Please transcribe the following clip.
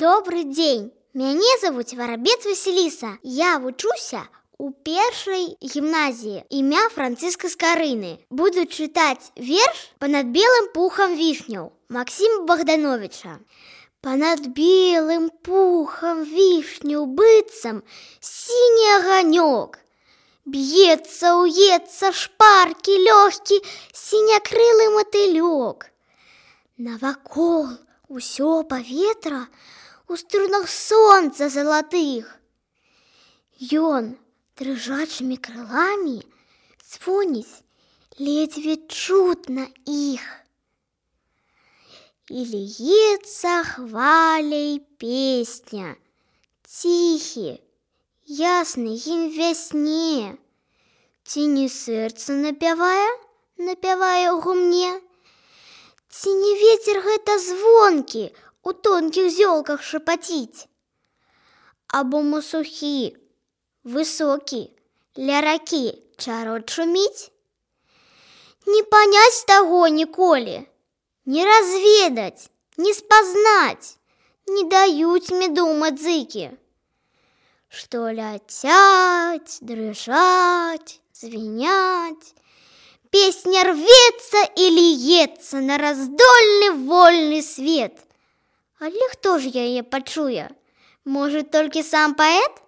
Добрый дзень! Мяне завуць Варабец Васіліса. Я вучуся у першай гімназіі імя Францыска Скарыны. Буду чытаць верш «Панад белым пухам вішняў» Максіма Богдановича. Панад белым пухам вішняў быццам сіні аганёк. Б'ецца, уецца шпаркі лёгкі сінякрылы матылёк. Навакол усё паветра у струнах сонца залатых. Ён дрыжачымі крыламі звоніць ледзьве чутна іх. І ліецца хваляй песня, ціхі, ясны гімн вясне. Ці не сэрца напявае ў гумне, ці не вецер гэта звонкі у тонкіх зёлках шапаціць, або мусухі, высокі, ля ракі чарот шуміць? Не паняць таго ніколі, не разведаць, не спазнаць не даюць меду мадзыкі, што ляцяць, дрыжаць, звіняць. Песня рвецца і ліецца на раздольны вольны свет. Але хто ж яе пачуе? Можа, толькі сам паэт?